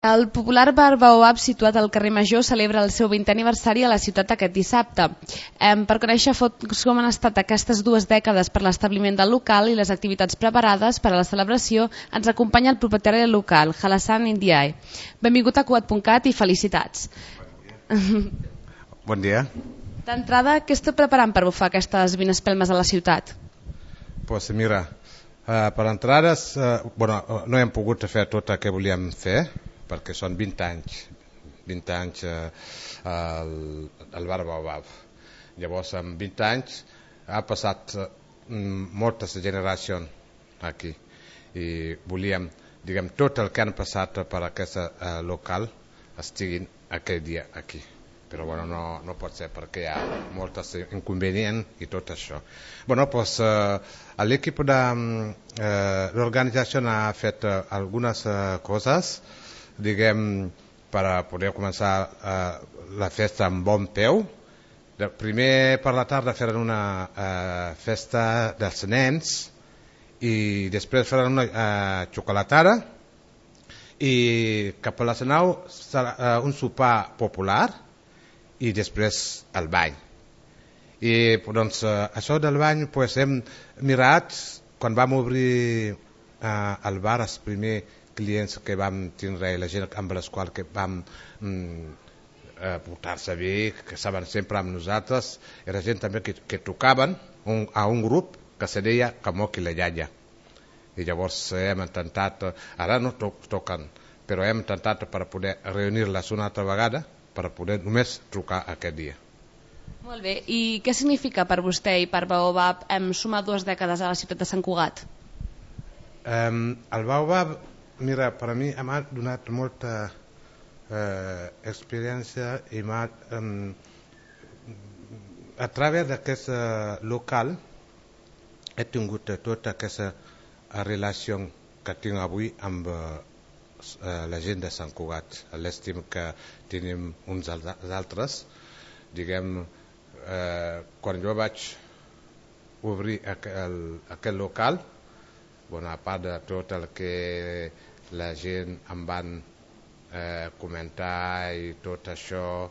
El popular bar Baobab, situat al carrer Major, celebra el seu 20è aniversari a la ciutat aquest dissabte. Per conèixer com han estat aquestes 2 dècades per l'establiment del local i les activitats preparades per a la celebració, ens acompanya el propietari del local, Halassan Indiaye. Benvingut a Cugat.cat i felicitats. Bon dia. D'entrada, què esteu preparant per bufar aquestes 20 espelmes a la ciutat? Pues mira, per entrades, no hem pogut fer tot el que volíem fer, perquè són 20 anys al bar Baobab. Llavors, en 20 anys ha passat moltes generacions aquí i volíem, tot el que han passat per aquest local estiguin aquell dia aquí. Però no pot ser perquè hi ha molts inconvenients i tot això. L'equip de l'organització ha fet algunes coses per poder començar la festa amb bon peu. Primer per la tarda faran una festa dels nens i després faran una xocolatada i cap a les 9 serà un sopar popular i després el bany. I doncs això del bany hem mirat quan vam obrir el bar, els primers clients que vam tindre i la gent amb les quals que vam portar-se bé, que estaven sempre amb nosaltres, era gent també que tocaven a un grup que se deia Kamoki la Yaya. I llavors hem intentat, ara no toquen, però hem intentat per poder reunir-les una altra vegada per poder només trucar aquest dia. Molt bé, i què significa per vostè i per Baobab sumar 2 dècades a la ciutat de Sant Cugat? El Baobab, mira, per a mi m'ha donat molta experiència i a través d'aquest local he tingut tota aquesta relació que tinc avui amb la gent de Sant Cugat, l'estim que tenim uns als altres. Quan jo vaig obrir aquest local, a part de tot el que la gent em van comentar i tot això,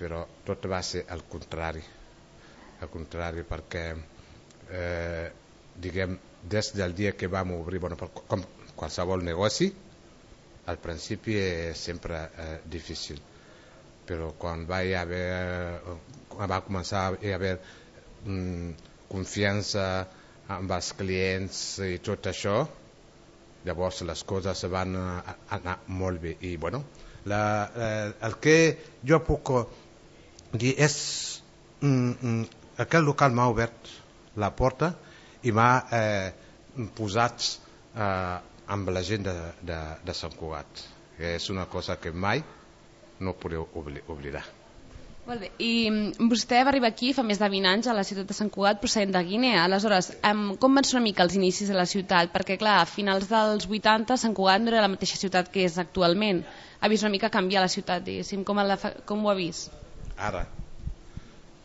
però tot va ser al contrari. Al contrari, perquè des del dia que vam obrir, com qualsevol negoci, al principi és sempre difícil, però quan va començar a haver confiança amb els clients i tot això, llavors les coses van anar molt bé. I el que jo puc dir és aquest local m'ha obert la porta i m'ha posat amb la gent de Sant Cugat. És una cosa que mai no podeu oblidar. Molt bé, i vostè va arribar aquí fa més de 20 anys a la ciutat de Sant Cugat procedent de Guinea. Aleshores, com van ser una mica els inicis de la ciutat? Perquè clar, a finals dels 80 Sant Cugat no era la mateixa ciutat que és actualment. Ha vist una mica canviar la ciutat, diguéssim. Com ho ha vist? Ara,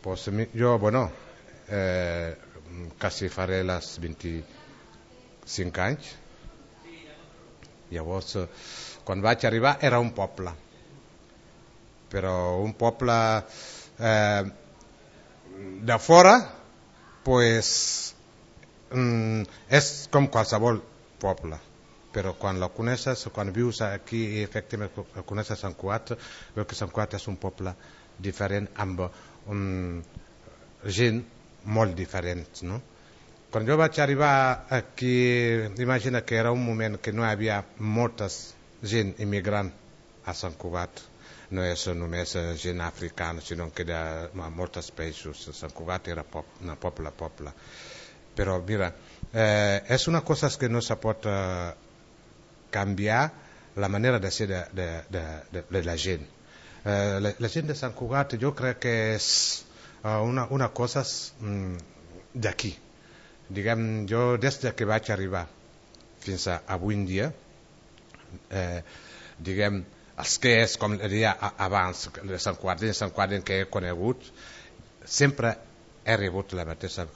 jo, quasi faré les 25 anys. Llavors, quan vaig arribar era un poble, però un poble de fora és com qualsevol poble, però quan la coneixes, quan vius aquí i efectivament coneixes Sant Cugat, veu que Sant Cugat és un poble diferent amb gent molt diferent, no? Quan jo vaig arribar aquí, imagina que era un moment que no hi havia molta gent immigrant a Sant Cugat. No és només gent africana, sinó que de molts països. Sant Cugat era poble. Però mira, és una cosa que no se pot canviar la manera de ser de la gent. La gent de Sant Cugat jo crec que és una cosa d'aquí. Jo des que vaig arribar fins a avui en dia, els que és, com deia abans, de Sant Cugat que he conegut, sempre he rebut la mateixa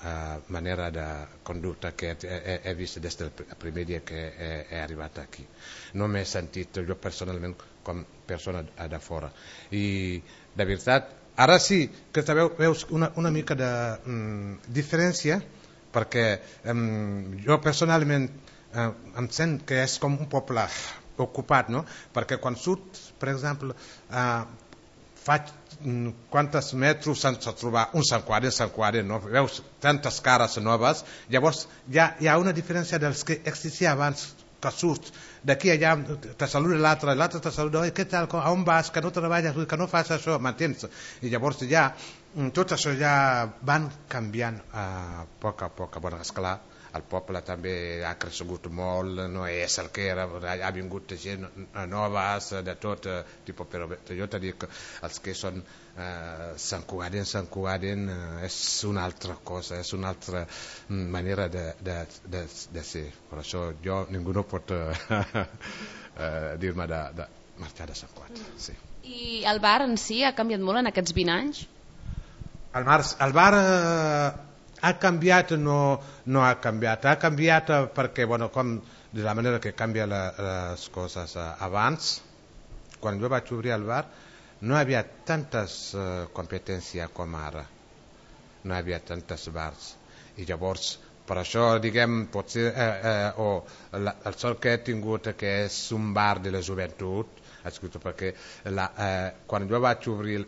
manera de conducta que he vist des del primer dia que he arribat aquí. No m'he sentit jo personalment com persona de fora. I de veritat, ara sí que veus una mica de diferència, perquè jo personalment em sent que és com un poble ocupat, no? Perquè quan surt, per exemple, faig quantes metres sense trobar un Sant Quadre, no? Veus tantes cares noves, llavors hi ha una diferència dels que existia abans, que surts d'aquí allà, te saluda l'altre te saluda, què tal, a on vas, que no treballes, que no fas això, m'entens? I llavors ja, tot això ja van canviant a poc a poc. Bueno, esclar, el poble també ha crescut molt, no és el que era, ha vingut gent noves, de tot tipus, però jo t'he dit que els que són Sant Cugaden és una altra cosa, és una altra manera de ser. Per això ningú no pot dir-me de marxar de Sant Cugat. Sí. I el bar en si ha canviat molt en aquests 20 anys? El bar ha canviat, no ha canviat. Ha canviat perquè, bueno, com de la manera que canvia les coses. Abans, quan jo vaig obrir el bar, no hi havia tantes competències com ara. No hi havia tantes bars. I llavors, per això, diguem, potser el sort que he tingut que és un bar de la joventut, perquè quan jo vaig obrir,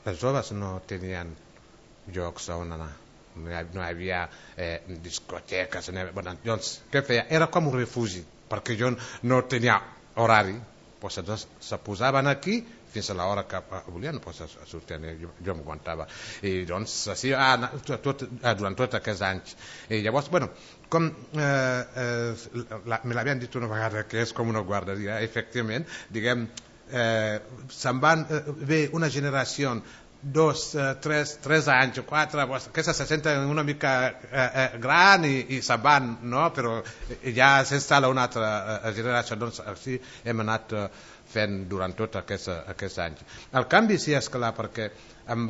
els joves no tenien llocs on anar. No hi havia discoteques. Doncs, què feia? Era com un refugi, perquè jo no tenia horari. Doncs se posaven aquí fins a l'hora que volien, sortien, jo m'aguantava. I doncs, així, durant tots aquests anys. I llavors, bueno, com me l'havien dit una vegada, que és com una guarderia, efectivament, diguem, se'n van ve una generació 2, 3 anys, 4, aquestes se senten una mica gran i se'n van, no? Però ja s'instal·la una altra generació, doncs així hem anat fent durant tots aquests anys. El canvi sí, és clar, perquè amb,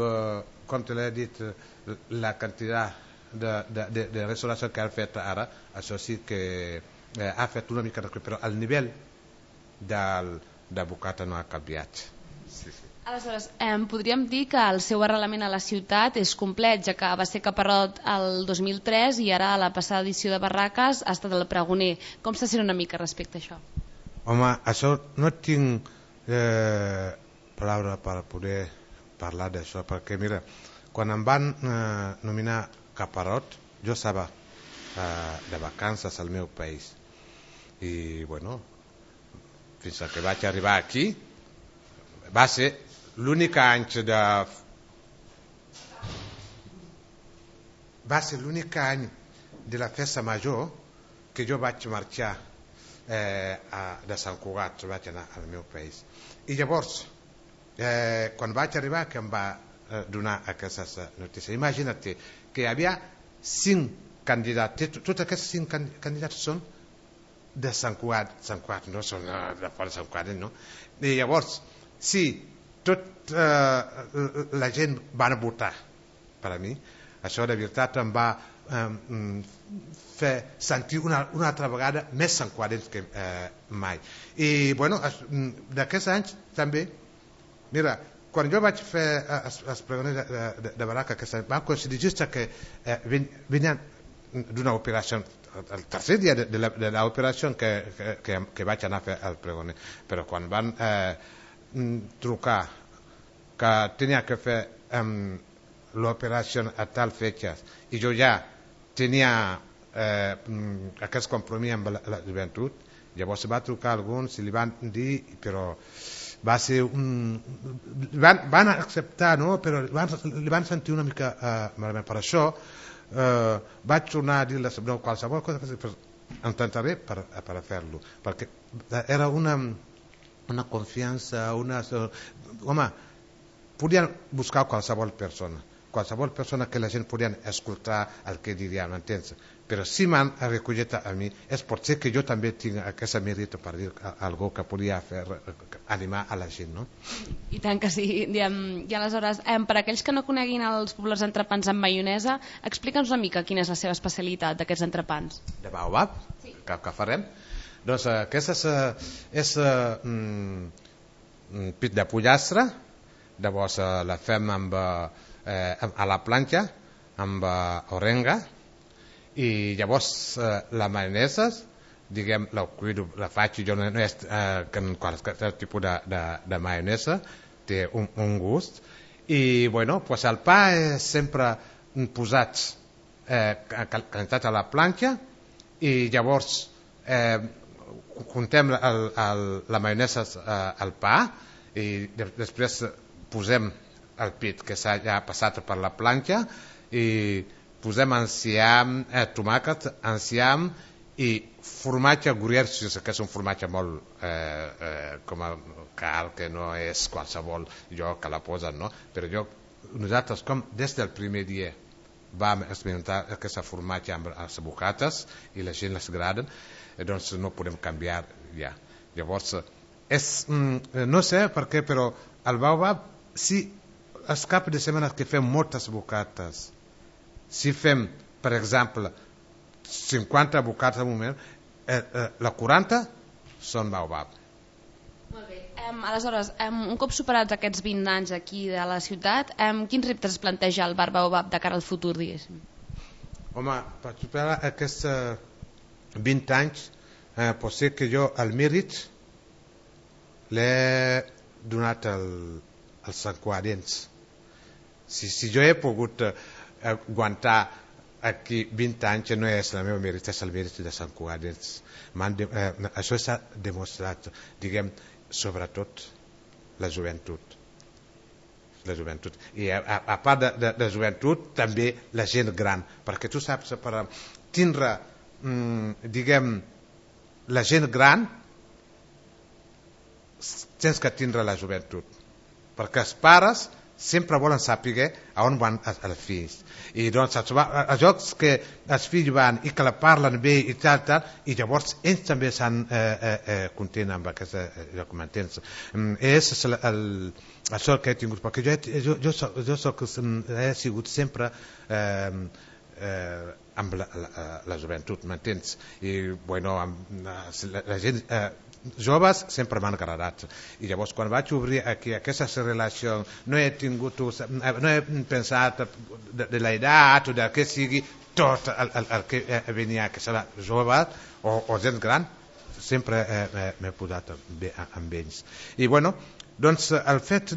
com te l'he dit, la quantitat de restauració que ha fet ara, això sí que ha fet una mica de... però el nivell de bocata no ha canviat. Sí. Aleshores, podríem dir que el seu arrelament a la ciutat és complet, ja que va ser caparrot el 2003 i ara a la passada edició de Barraques ha estat el pregoner. Com se sent una mica respecte a això? Home, això no tinc paraula per poder parlar d'això, perquè mira, quan em van nominar caparrot, jo estava de vacances al meu país. I, bueno, fins que vaig arribar aquí, va ser l'únic any de la festa major que jo vaig marxar de Sant Cugat, vaig anar al meu país. I llavors, quan vaig arribar, que em va donar aquestes notícies, imagina't que hi havia 5 candidats, tots aquests 5 candidats són de Sant Cugat, no són de fora de Sant Cugat, no? I llavors, sí, tota la gent van votar per a mi, això de veritat em va fer sentir una altra vegada més santcuarencs que mai. I bueno, d'aquests anys també, mira, quan jo vaig fer els pregoners de Barraca, que va coincidir just que venien d'una operació, el tercer dia de l'operació que vaig anar a fer el pregoner, però quan van trucar que tenia que fer l'operació a tal fecha i jo ja tenia aquest compromís amb la joventut, llavors va trucar a alguns i li van dir, però va ser van acceptar, no? Però li van sentir una mica malament. Per això vaig tornar a dir-les, no, qualsevol cosa intentaré per fer-lo, perquè era una confiança, home, podien buscar qualsevol persona que la gent podia escoltar el que diria, m'entens? però si m'han recollit a mi és potser que jo també tinc aquesta mèrit per dir alguna que podia fer animar a la gent, no? I tant que sí. I aleshores, per aquells que no coneguin els populars entrepans amb maionesa, explica'ns una mica quina és la seva especialitat d'aquests entrepans. De baobab? Sí. Que farem? Doncs aquesta és pit de pollastre, llavors la fem a la planxa amb orenga, i llavors la maionesa, diguem, la faig jo, no és en qualsevol tipus de maionesa, té un gust, i bueno, pues el pa és sempre posats calentats a la planxa, i llavors juntem la maionesa al pa, i després posem el pit que s'ha ja passat per la planxa, i posem enciam, tomàquet, enciam i formatge gruyère, que és un formatge molt com el car, que no és qualsevol lloc que la posen, no? Però nosaltres, com des del primer dia vam experimentar aquesta formatge amb les bocates i la gent les agrada, doncs no podem canviar ja. Llavors, no sé per què, però al baobab, si els caps de setmana que fem moltes bocates, si fem, per exemple, 50 bocates al moment, la 40 són baobab. Molt bé. Aleshores, un cop superats aquests 20 anys aquí de la ciutat, quins reptes es planteja el bar Baobab de cara al futur, diguéssim? Home, per superar aquests 20 anys, pot ser que jo el mèrit l'he donat als santcugarencs. Si jo he pogut aguantar aquí 20 anys, no és el meu mèrit, és el mèrit de santcugarencs. Això s'ha demostrat, diguem, sobretot la joventut. I a part de la joventut, també la gent gran, perquè tu saps, per tindre, diguem, la gent gran, tens que tindre la joventut, perquè els pares sempre volen saber on van els fills, i doncs els jocs que els fills van i que la parlen bé i tal, i llavors ells també s'han content amb aquest joc, m'entens? És això que he tingut, perquè jo he sigut sempre amb la joventut, m'entens? I bueno, la gent joves sempre m'han agradat, i llavors quan vaig obrir aquí aquesta relació no he pensat de l'edat o del que sigui, tot el que venia, que serà jove o gent gran, sempre m'he posat bé amb ells. I bueno, doncs el fet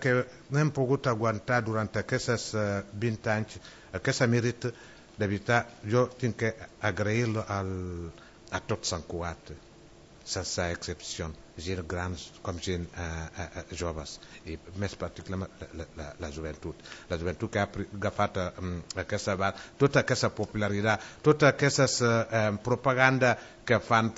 que no hem pogut aguantar durant aquests 20 anys aquest mèrit, de veritat, jo tinc que agrair-lo a tot Sant Cugat, sense excepció, gent grans com gent joves, i més particularment la joventut. La joventut que ha agafat tota aquesta popularitat, tota aquesta propaganda que fan